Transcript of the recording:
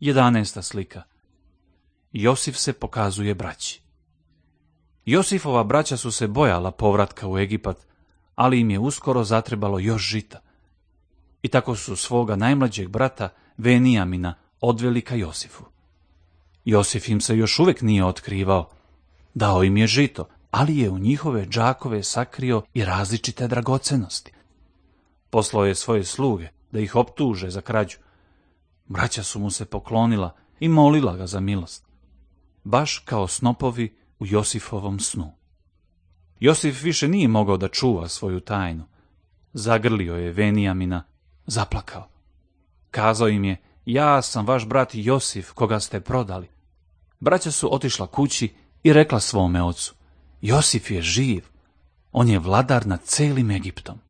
11. slika. Josif se pokazuje braći. Josifova braća su se bojala povratka u Egipat, ali im je uskoro zatrebalo još žita. I tako su svoga najmlađeg brata Venijamina odveli ka Josifu. Josif im se još uvijek nije otkrivao. Dao im je žito, ali je u njihove džakove sakrio i različite dragocenosti. Poslao je svoje sluge da ih optuže za krađu. Braća su mu se poklonila i molila ga za milost, baš kao snopovi u Josifovom snu. Josif više nije mogao da čuva svoju tajnu. Zagrlio je Venijamina, zaplakao. Kazao im je: ja sam vaš brat Josif, koga ste prodali. Braća su otišla kući i rekla svome ocu: Josif je živ, on je vladar nad celim Egiptom.